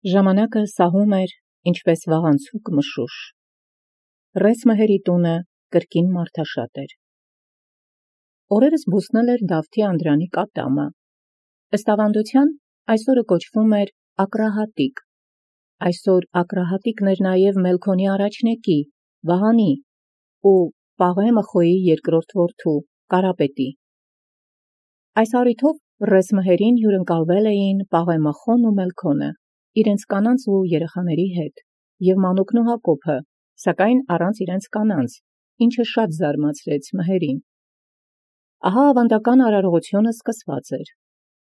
Ժամանակը սահում էր, ինչպես վաղանցուկ մշուշ։ Ռես մհերի տունը կրկին մարդաշատ էր։ Օրերս բուսնել էր Դավթի Անդրանի կատամը։ Ըստ ավանդության, այսօրը կոչվում էր Ակրահատիկ։ Այսօր Ակրահատիկն էր նաև Մելքոնի առաջնեկի, Վահանի ու Պաղե Մխոյի երկրորդ որդու, Կարապետի։ Այս առիթով ռես մհերին հյուրընկալվել էին Պաղե Մխոն ու Մելքոնը, իրենց կանանց ու երեխաների հետ, և Մանուկն ու Հակոբը, սակայն առանց իրենց կանանց, ինչը շատ զարմացրեց մհերին։ Ահա ավանդական արարողությունը սկսված էր։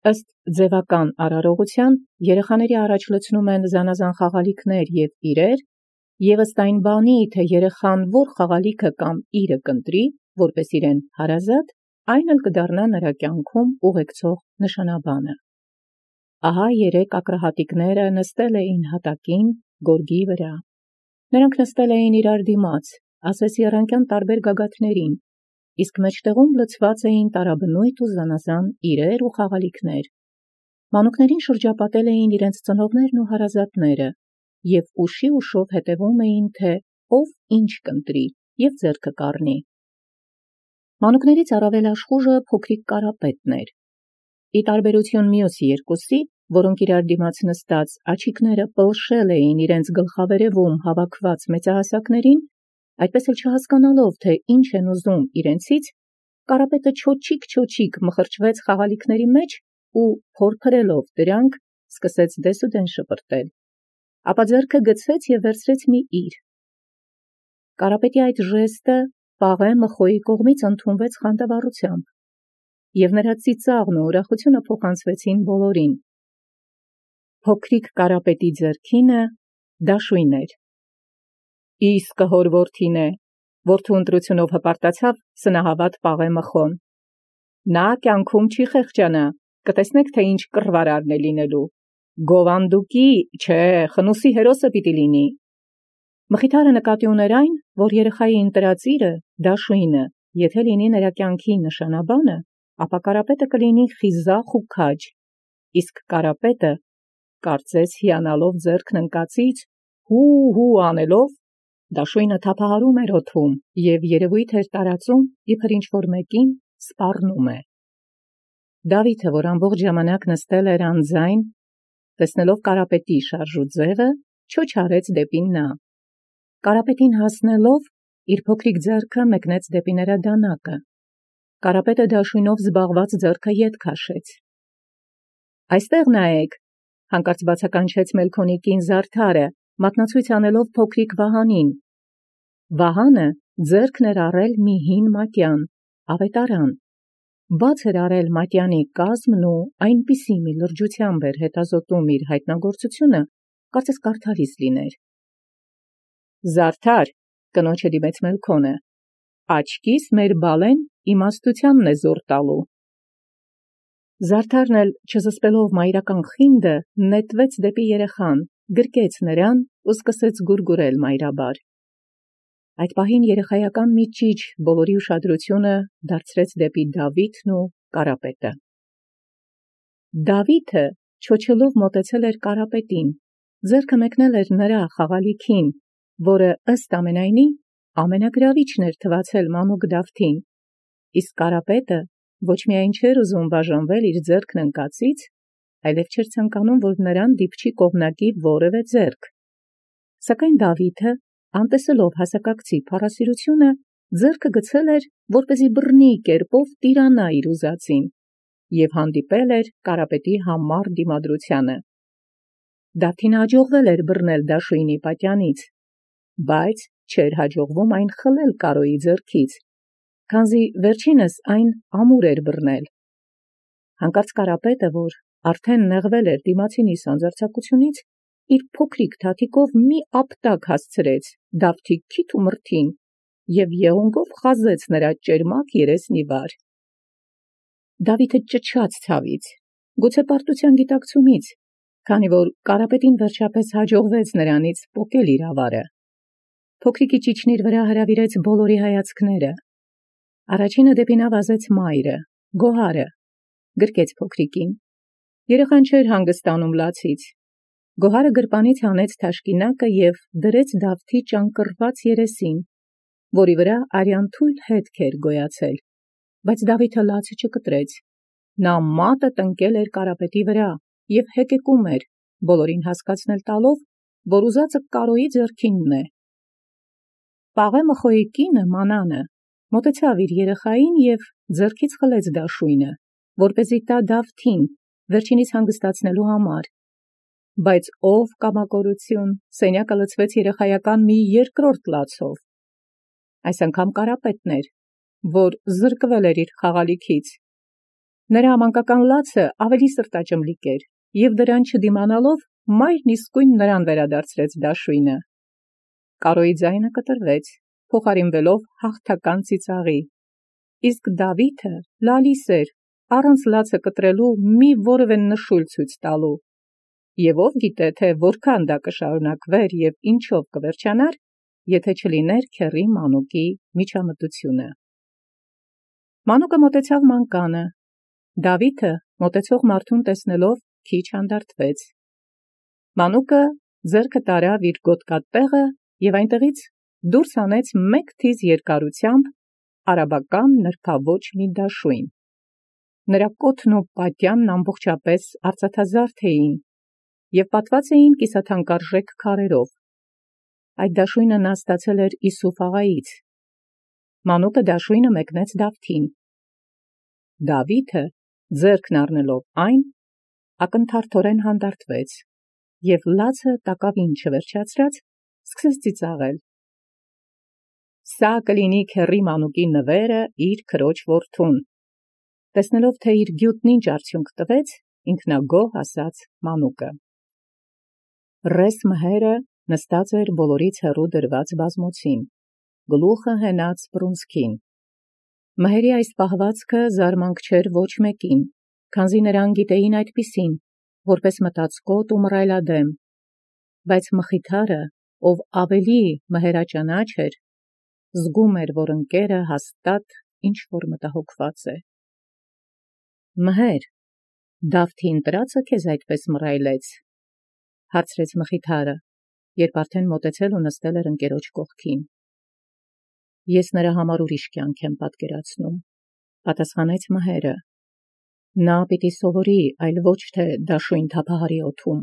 Ըստ ձևական արարողության երեխաների առաջ լցնում են զանազան խաղալիքներ և իրեր, և ըստ այն բանի, թե երեխան որ խաղալիքը կամ իրը կընտրի, որպես իրեն հարազատ, այն էլ կդառնա նրա կյանքում ուղեկցող նշանաբանը։ Ահա երեք ակրահատիկները նստել էին հատակին, գորգի վրա։ Նրանք նստել էին իրար դիմաց, ասես եռանկյան տարբեր գագաթներին, իսկ մեջտեղում լցված էին տարաբնույթ ու զանազան իրեր ու խաղալիքներ։ Մանուկներին շրջապատել էին իրենց ծնողներն ու հարազատները, և ուշով հետևում էին, թե ով ինչ կընտրի և ձեռքը կառնի։ Մանուկներից առավել աշխուժը փոքրիկ Կարապետն էր։ Ի տարբերություն մյուս երկուսի, որոնք իրար դիմաց նստած աջիկները պլշել էին իրենց գլխավերևում հավաքված մեծահասակներին, այդպես էլ չհասկանալով, թե ինչ են ուզում իրենցից, Կարապետը չոչիկ մխրճվեց խաղալիքների մեջ ու փորփրելով դրանք, սկսեց դեսուդեն շպրտել, ապա ձեռքը գցեց և վերցրեց մի իր։ Կարապետի այդ ժեստը Պաղե Մխոյի կողմից ընդունվեց խանդավառությամբ, և նրա ծիծաղն ու ուրախությունը փոխանցվեցին բոլորին։ Փոքրիկ Կարապետի ձեռքինը դաշույն էր։ Իսկը հոր որդին է, որդու ընտրությունով հպարտացավ սնահավատ Պաղե Մխոն։ Նա կյանքում չի խեղճանա, կտեսնեք, թե ինչ կռվարարն է լինելու։ Գովանդուկի, չէ, խնուսի հերոսը պիտի լինի։ Մխիթարը նկատի ուներ այն, որ երեխայի ընտրած իրը, դաշույնը, եթե լինի նրա կյանքի նշանաբանը, ապա Կարապետը կլինի խիզախ ու քաջ, իսկ Կարապետը, կարծես հիանալով ձեռքն ընկածից, հու անելով, դաշույնը թափահարում էր օդում և երևույթ էր տարածում, իբր ինչ-որ մեկին սպառնում է։ Դավիթը, որ ամբողջ ժամանակ նստել էր անձայն, տեսնելով Կարապետի շարժու ձևը, չոչարեց դեպի նա։ Կարապետին հասնելով, իր փոքրիկ ձեռքը մեկնեց դեպի նրա դանակը։ Կարապետը դաշույնով զբաղված ձեռքը ետ քաշեց։ Այստեղ նայեք, հանկարծ բացականչեց Մելքոնի կին Զարդարը, մատնացույց անելով փոքրիկ Վահանին։ Վահանը ձեռքն էր առել մի հին մատյան, ավետարան, բաց էր արել մատյանի կազմն ու այնպիսի մի լրջությամբ էր հետազոտում իր հայտնագործությունը, կարծես կարդալիս լիներ։ Զարդար, կնոջը դիմեց Մելքոնը, աչքիս մեր բալեն իմաստությանն է զոր տալու։ Զարդարն էլ չզսպելով մայրական խինդը, նետվեց դեպի երեխան, գրկեց նրան ու սկսեց գուրգուրել մայրաբար։ Այդ պահին երեխայական մի ճիչ բոլորի ուշադրությունը դարձրեց դեպի Դավիթն ու Կարապետը։ Դավիթը չոչելով մոտեցել էր Կարապետին, ձեռքը մեկնել էր նրա խաղալիքին, որը ըստ ամենայնի ամենագրավիչն էր թվացել մանուկ Դավթին, իսկ Կարապետը ոչ միայն չէր ուզում բաժանվել իր ձեռքն ընկածից, այլև չէր ցանկանում, որ նրան դիպչի կողմնակի որևէ ձեռք։ Սակայն Դավիթը, անտեսելով հասակակցի փառասիրությունը, ձեռքը գցել էր, որպեսզի բռնի կերպով տիրանա իր ուզածին, և հանդիպել էր Կարապետի համառ դիմադրությանը։ Դավթին հաջողվել էր բռնել դաշույնի պատյանից, բայց չէր հաջողվում այն խլել Կարոյի ձեռքից, քանզի վերջինս այն ամուր էր բռնել։ Հանկարծ Կարապետը, որ արդեն նեղվել էր դիմացինի սանձարձակությունից, իր փոքրիկ թաթիկով մի ապտակ հասցրեց Դավթի քիթ ու մրթին և եղունգով խազեց նրա ճերմակ երեսն ի վար։ Դավիթը ճչաց ցավից, գուցե պարտության գիտակցումից, քանի որ Կարապետին վերջապես հաջողվեց նրանից պոկել իր ավարը։ Փոքրիկի ճիչն իր վրա հրավիրեց բոլորի հայացքները։ Առաջինը դեպի նա վազեց մայրը, Գոհարը, գրկեց փոքրիկին։ Երեխան չէր հանգստանում լացից։ Գոհարը գրպանից հանեց թաշկինակը և դրեց Դավթի ճանկռված երեսին, որի վրա արյան թույլ հետք էր գոյացել, բայց Դավիթը լացը չկտրեց. նա մատը տնկել էր կարապետի վրա և հեկեկում էր, բոլորին հասկացնել տալով, որ ուզածը Կարոյի ձեռքինն է։ Պաղե Մխոյի կինը Մանանը մոտեցավ իր երեխային և ձեռքից խլեց դաշույնը, որպեսզի տա Դավթին վերջինիս հանգստացնելու համար, բայց ով կամակորություն, սենյակը լցվեց երեխայական մի երկրորդ լացով։ Այս անգամ կարապետն էր, որ զրկվել էր իր խաղալիքից։ Նրա մանկական լացը ավելի սրտաճմլիկ էր, և դրան չդիմանալով մայրն իսկույն նրան վերադարձրեց դաշույնը։ Կարոյի ձայնը կտրվեց, փոխարինվելով հաղթական ծիծաղի, իսկ Դավիթը լալիս էր, առանց լացը կտրելու մի որևէ նշույլ ցույց տալու, և ով գիտե, թե որքան դա կշարունակվեր և ինչով կվերջանար, եթե չլիներ քեռի Մանուկի միջամտությունը։ Մանուկը մոտեցավ մանկանը, Դավիթը մոտեցող մարդուն տեսնելով քիչ հանդարտվեց։ Մանուկը ձեռքը տարավ իր գոտկատեղը և այնտեղից դուրս հանեց մեկ թիզ երկարությամբ արաբական նրբաոճ մի դաշույն։ Նրա կոթն ու պատյանն ամբողջապես արծաթազարդ էին և պատված էին կիսաթանկարժեք քարերով։ Այդ դաշույնը նա ստացել էր Իսուֆ աղայից։ Մանուկը դաշույնը մեկնեց Դավթին։ Դավիթը, ձեռքն առնելով այն, ակնթարթորեն հանդարտվեց և լացը տակավին չվերջացրած սկսեց ծիծաղել. «Սա կլինի քեռի Մանուկի նվերը իր քրոջ որդուն»։ Տեսնելով, թե իր գյուտն ինչ արդյունք տվեց, ինքնագոհ ասաց Մանուկը։ Ռես մհերը նստած էր բոլորից հեռու դրված բազմոցին, գլուխը հենած բռունցքին։ Մհերի այս պահվածքը զարմանք չէր ոչ մեկին, քանզի նրանք գիտեին այդպիսին, որպես մտածկոտ ու մռայլադեմ, բայց Մխիթարը, ով ավելի մհերաճանաչ էր, զգում էր, որ ընկերը հաստատ ինչ-որ մտահոգված է։ Մհեր, Դավթի ընտրածը քեզ այդպես մռայլեց, հարցրեց Մխիթարը, երբ արդեն մոտեցել ու նստել էր ընկերոջ կողքին։ Ես նրա համար ուրիշ կյանք եմ պատկերացնում, պատասխանեց մհերը։ Նա պիտի սովորի, այլ ոչ թե դաշույն թափահարի օդում։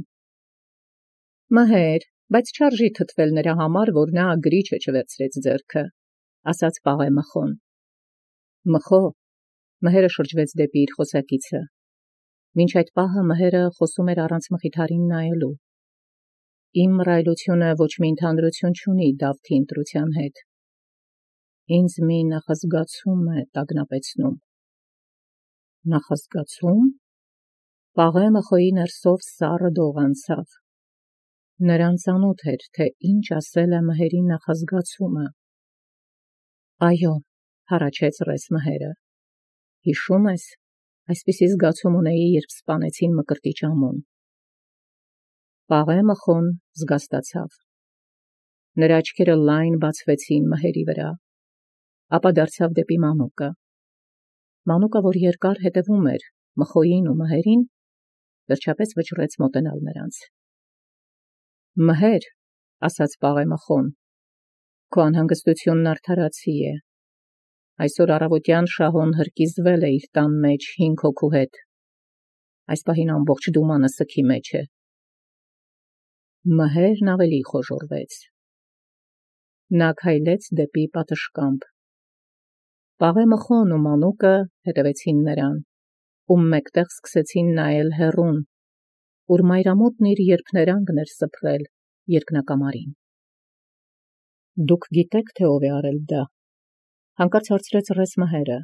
Մհեր, բայց չարժի թթվել նրա համար, որ նա գրիչը չվերցրեց ձեռքը, ասաց Պաղե Մխոն։ Մխո, մհերը շրջվեց դեպի իր խոսակիցը։ Մինչ այդ պահը մհերը խոսում էր առանց Մխիթարին նայելու։ Իմ մռայլությունը ոչ մի ընդհանրություն չունի Դավթի ընտրության հետ։ Ինձ մի նախազգացում է տագնապեցնում։ Նախազգացում։ Պաղե Մխոյի ներսով սառը դող անցավ։ Նրան ծանոթ էր, թե ինչ ասել է մհերի նախազգացումը։ Այո, հառաչեց ռես մհերը։ Հիշում ես, այսպիսի զգացում ունեի, երբ սպանեցին Մկրտիչ Ամոն։ Պաղե Մխոն զգաստացավ։ Նրա աչքերը լայն բացվեցին մհերի վրա, ապա դարձավ դեպի Մանուկը։ Մանուկը, որ երկար հետևում էր Մխոյին ու մհերին, վերջապես վճռեց մոտենալ նրանց։ Մհեր, ասաց Պաղե Մխոն, քո անհանգստությունն արդարացի է։ Այսօր առավոտյան Շահոն հրկիզվել է իր տան մեջ 5 հոգու հետ։ Այս պահին ամբողջ դումանը սգի մեջ է։ Մհերն ավելի խոժոռվեց։ Նա քայլեց դեպի պատշգամբ։ Պաղե Մխոն ու Մանուկը հետևեցին նրան, ու մեկտեղ սկսեցին նայել հեռուն, ուր մայրամուտն իր երփներանգն էր սփռել երկնակամարին։ Դուք գիտեք, թե ով է արել դա, հանկարծ հարցրեց ռես մհերը։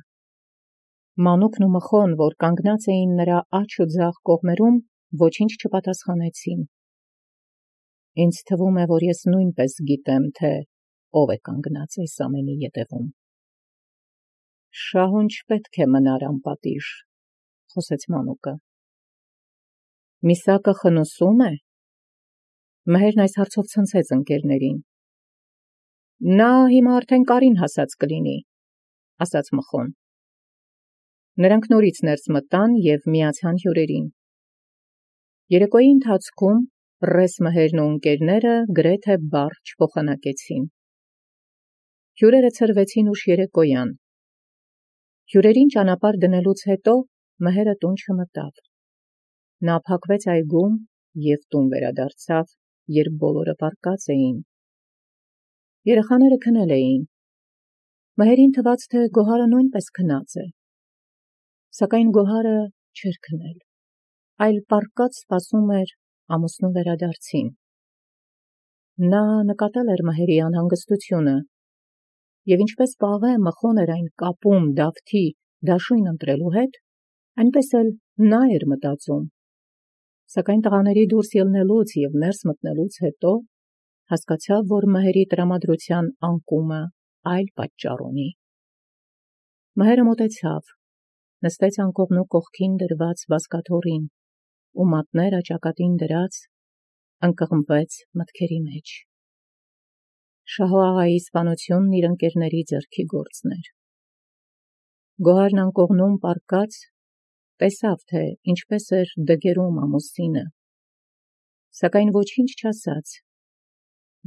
Մանուկն ու Մխոն, որ կանգնած էին նրա աջ ու ձախ կողմերում, ոչինչ չպատասխանեցին։ Ինձ թվում է, որ ես նույնպես գիտեմ, թե ով է կանգնած այս ամենի ետևում։ Շահուն չպետք է մնար անպատիժ, խոսեց Մանուկը։ Միսակը խնուսում է։ Մհերն այս հարցով ցնցեց ընկերներին։ Նա հիմա արդեն կարին հասած կլինի, ասաց Մխոն։ Նրանք նորից ներս մտան և միացան հյուրերին։ Երեկոյի ընթացքում Ռես Մհերն ու ընկերները գրեթե բառ չփոխանակեցին։ Հյուրերը ցրվեցին ուշ երեկոյան։ Հյուրերին ճանապարհ դնելուց հետո Մհերը տուն չմտավ։ Նա փակվեց այգում և տուն վերադարձավ, երբ բոլորը պառկած էին։ Երեխաները քնել էին։ Մհերին թվաց, թե Գոհարը նույնպես քնած է։ Սակայն Գոհարը չէր քնել, այլ պառկած սպասում էր ամուսնու վերադարձին։ Նա նկատել էր Մհերի անհանգստությունը, և ինչպես պաղե մխոն էր այն կապում Դավթի դաշույն ընտրելու հետ, այնպես էլ նա էր մտածում։ Սակայն տղաների դուրս ելնելուց և ներս մտնելուց հետո հասկացավ, որ Մհերի տրամադրության անկումը այլ պատճառ ունի։ Մհերը մոտեցավ, նստեց անկողնու կողքին դրված բազկաթոռին ու մատները ճակատին դրած ընկղմվեց մտքերի մեջ։ Շահո աղայի սպանությունն իր ընկերների ձեռքի գործն էր։ Գոհարն անկողնում պառկած տեսավ, թե ինչպես էր դգերում ամուսինը, սակայն ոչինչ չասաց,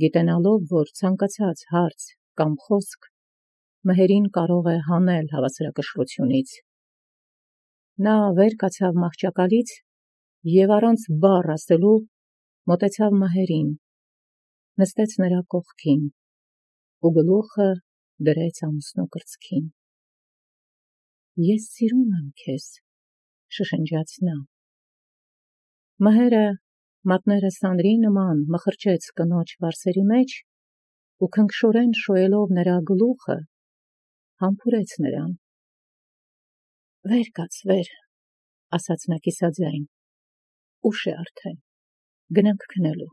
գիտենալով, որ ցանկացած հարց կամ խոսք Մհերին կարող է հանել հավասարակշռությունից։ Նա վեր կացավ մահճակալից և առանց բառ ասելու մոտեցավ Մհերին, նստեց նրա կողքին ու գլուխը դրեց ամուսնու կրծքին։ «Ես սիրում եմ քեզ», շշնջաց նա։ Մհերը մատները սանրի նման մխրճեց կնոջ վարսերի մեջ ու քնքշորեն շոյելով նրա գլուխը, համբուրեց նրան։ «Վեր կաց, վեր», ասաց նա կիսաձայն, «ուշ է արդեն, գնանք քնելու»։